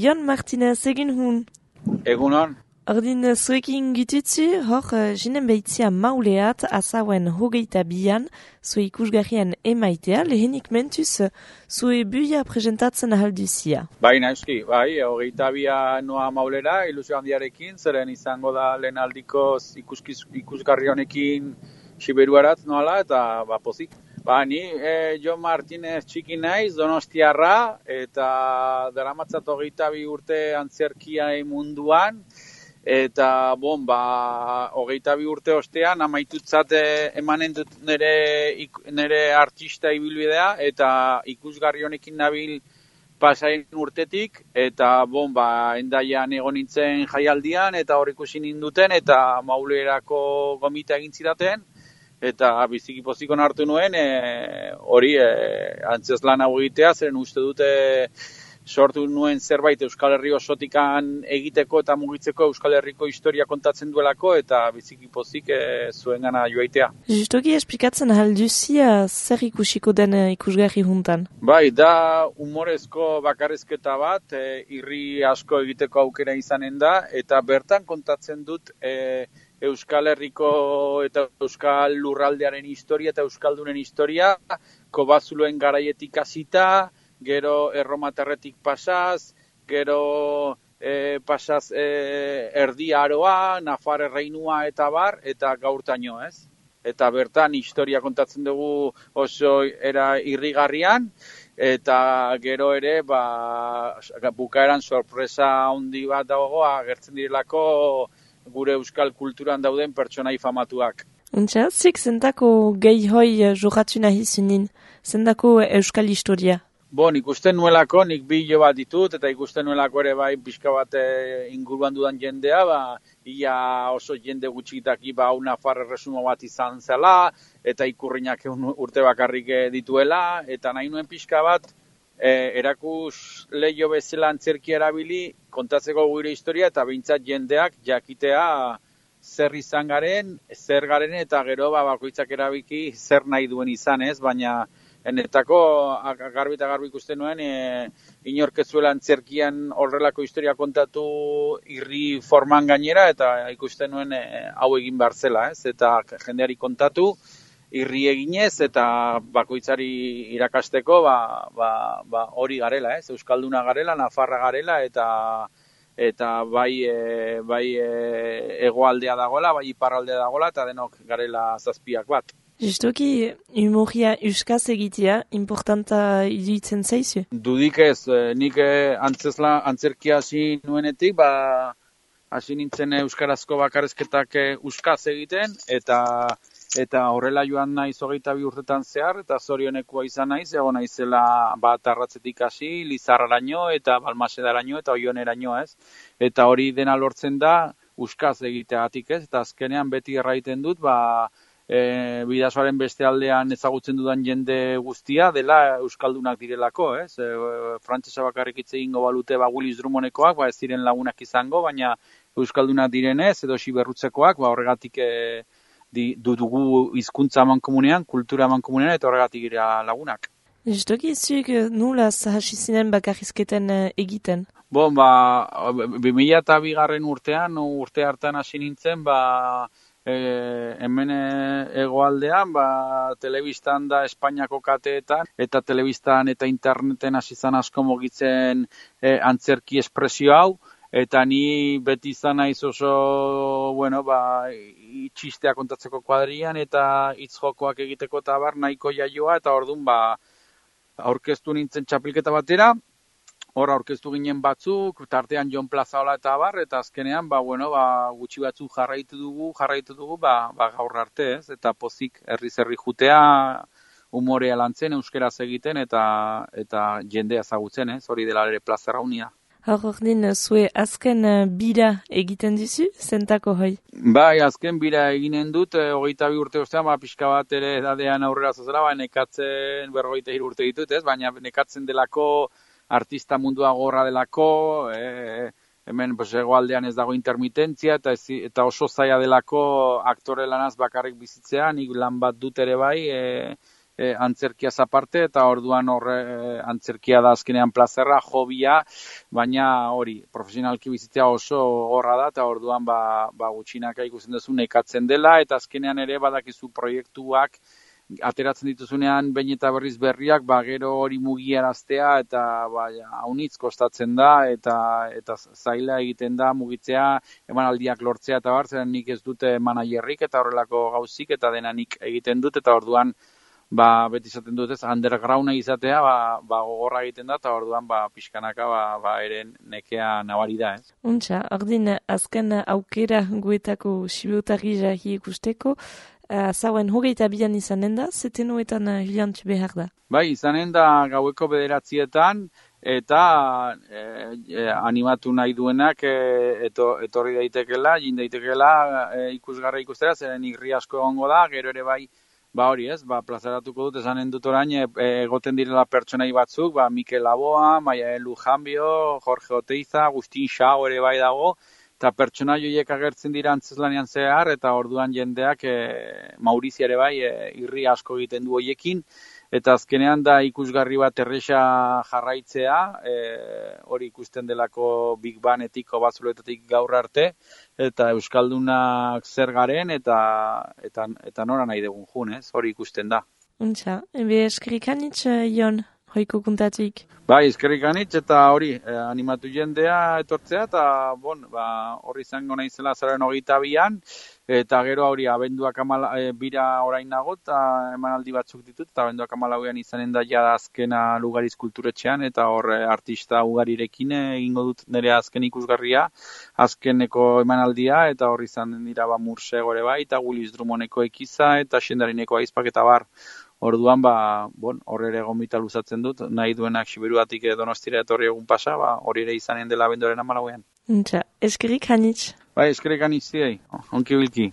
Jon Martinez, egin hun. Egunon. Ordin zuekin gitutzu, hor jinen behitzia mauleat, azauen hogeita bian, zue ikusgarrian emaitea, lehenik mentuz, zue buia presentatzen ahalduzia. Bai, naizki, bai, hogeita bia noa maulera, ilusio handiarekin, zeren izango da lehen aldiko ikusgarri honekin Siberuarat noala, eta pozik. Ni Jon Martinez txiki naiz, Donostiarra, eta daramatzat hogeita bi urte antzerkia munduan, eta hogeita bi urte ostean amaitutzat emanen dut nire artista ibilbidea, eta ikusgarri honekin nabil pasain urtetik, eta endaian egon nintzen jaialdian, eta hor ikusi ninduten, eta maulerako gomita egin zidaten, eta biziki pozikon hartu nuen, hori antzeslan hau egitea, zeren uste dute sortu nuen zerbait Euskal Herri osotikan egiteko eta mugitzeko Euskal Herriko historia kontatzen duelako, eta biziki pozik zuen gana joaitea. Justoki esplikatzen ahalduzia zer ikusiko den ikusgarri juntan? Bai, da humorezko bakarrizketa bat, irri asko egiteko aukera izanen da, eta bertan kontatzen dut Euskal Herriko eta Euskal Lurraldearen historia eta Euskaldunen historia, Kobazuloen garaietik hasita, gero Erromatarretik pasaz, gero pasaz Erdi Aroa, Nafar Erreinua eta bar, eta gaurtaino, ez? Eta bertan historia kontatzen dugu oso era irrigarrian, eta gero ere bukaeran sorpresa handi bat dago agertzen direlako gure euskal kulturan dauden pertsonai famatuak. Untxa, zik zendako gehi hoi jokatu nahi zunin, zendako euskal historia? Nik usten nuelako, nik bilo bat ditut, eta ikusten nuelako ere bai pixka bat inguruan dudan jendea, ia oso jende gutxitaki Nafar erresumo bat izan zela, eta ikurrinak urte bakarrik dituela, eta nahi nuen pixka bat erakus leio bezala antzerkia erabili, kontatzeko gure historia, eta behintzat jendeak jakitea zer izan garen, zer garen, eta gero bakoitzak erabiki zer nahi duen izan, ez? Baina enetako garbi eta garbi ikusten nuen, inorkezuela antzerkian horrelako historia kontatu irri forman gainera, eta ikusten nuen hau egin behar zela, ez? Eta jendeari kontatu, irri eginez, eta bakoitzari irakasteko, hori garela, ez? Euskalduna garela, Nafarra garela, eta bai hegoaldea dagoela, bai iparraldea dagoela, eta denok garela zazpiak bat. Justoki, humoria euskaz egitea, importanta iduitzen zaizu? Dudik ez, nik antzerkia hasi nuenetik, hasi nintzen euskarazko bakarrizketak euskaz egiten, eta horrela joan naiz hogeita bi urtetan zehar, eta zorionekoa izan naiz, egon naizela Arratzetik hasi, Lizarraraino, eta Balmasedaraino, eta Oioneraino, ez? Eta hori dena lortzen da, euskaz egiteagatik, ez? Eta azkenean beti erraiten dut, Bidasoaren beste aldean ezagutzen dudan jende guztia dela euskaldunak direlako, ez? Frantsesa bakarrik hitz egingo balute Willis Drummondekoak, ez ziren lagunak izango, baina euskaldunak direnez edo Siberrutzekoak, horregatik dugu hizkuntza amankomunean, kultura amankomunean, eta horregatik gira lagunak. Justoki, zuek nulaz hasi zinen bakarrizketen egiten? 2002 urtean, urte hartan hasi nintzen, hemen hegoaldean, telebistan da Espainiako kateetan, eta telebistan eta interneten hasi zan asko mugitzen antzerki espresio hau, eta ni beti izan naiz oso, txistea kontatzeko kuadrian, eta hitz jokoak egiteko eta nahiko jaioa, eta orduan aurkeztu nintzen txapelketa batera, hor aurkeztu ginen batzuk, tartean Jon Plazaola eta eta azkenean, gutxi batzuk jarraitu dugu, gaur arte, ez? Eta pozik herri jutea, humorea lantzen, euskeraz egiten, eta jendea ezagutzen, ez? Hori dela ere plazer haunia. Ordin, zue azken bira egiten dizu, zentako hoi? Bai, azken bira eginen dut, 22 urte ostean, pixka bat ere edadean aurrera zazela, nekatzen 43 urte ditut, ez? Baina nekatzen delako, artista mundua gorra delako, hemen hegoaldean ez dago intermitentzia, eta oso zaila delako aktore lanaz bakarrik bizitzea, nik lan bat dut ere bai, antzerkiaz aparte, eta orduan horre antzerkia da azkenean plazerra, hobia, baina hori, profesionalki bizitzea oso horra da, eta orduan gutxinaka ikusten duzu nekatzen dela, eta azkenean ere badakizu proiektuak ateratzen dituzunean behin eta berriz berriak, gero hori mugiaraztea eta haunitz kostatzen da eta zaila egiten da mugitzea, emanaldiak lortzea eta zeren nik ez dute managerrik eta horrelako gauzik eta dena nik egiten dut eta orduan beti izaten dut ez, undergrounda izatea, gogorra egiten da, eta orduan, pixkanaka, eren nekea nabari da, ez? Untxa, ordin, azken aukera guetako sibeotarri jarri ikusteko, zauen 22an izanen da, zetenuetan hilantzu behar da? Bai, izanen da gaueko 9:00 eta animatu nahi duenak etorri daitekela, jin daitekela ikusgarra ikustera, zeren irri asko egongo da, gero ere bai, hori ez, plazaratuko dut, esanen dut orain, egoten direla pertsonai batzuk, Mikel Laboa, Maia Lujambio, Jorge Oteiza, Agustin Xao ere bai dago, eta pertsonai horiek agertzen dira antzeslanean zehar, eta orduan jendeak Maurizia ere bai irri asko egiten du hoiekin, eta azkenean da ikusgarri bat erresa jarraitzea, hori ikusten delako Big Banetik, Bazuloetatik gaur arte, eta Euskaldunak zer garen, eta nora nahi dugun jun, ez? Hori ikusten da. Untxa, eskerrik anitz, Jon, hoiko kuntatik. Bai, eskerrik anitz, eta hori, animatu jendea etortzea, eta horri izango naizela azararen 22an, eta gero hori abenduak bira orain nago, eta emanaldi batzuk ditut, eta abenduak 14an izanen da jada azkena Lugariz kulturetxean, eta hor artista ugarirekin egingo dut nire azken ikusgarria, azkeneko emanaldia, eta hor izan dira Murse gore bai, eta Willis Drummondeko ekiza, eta Xendarineko aizpak eta bar. Orduan, hor ere gomita luzatzen dut, nahi duenak Siberuatik Donostira etorri egun pasa, hori ere izanen dela abenduaren 14an. Eskerrik anitz. Bai, eskerrik anitz ziei, onki bilki.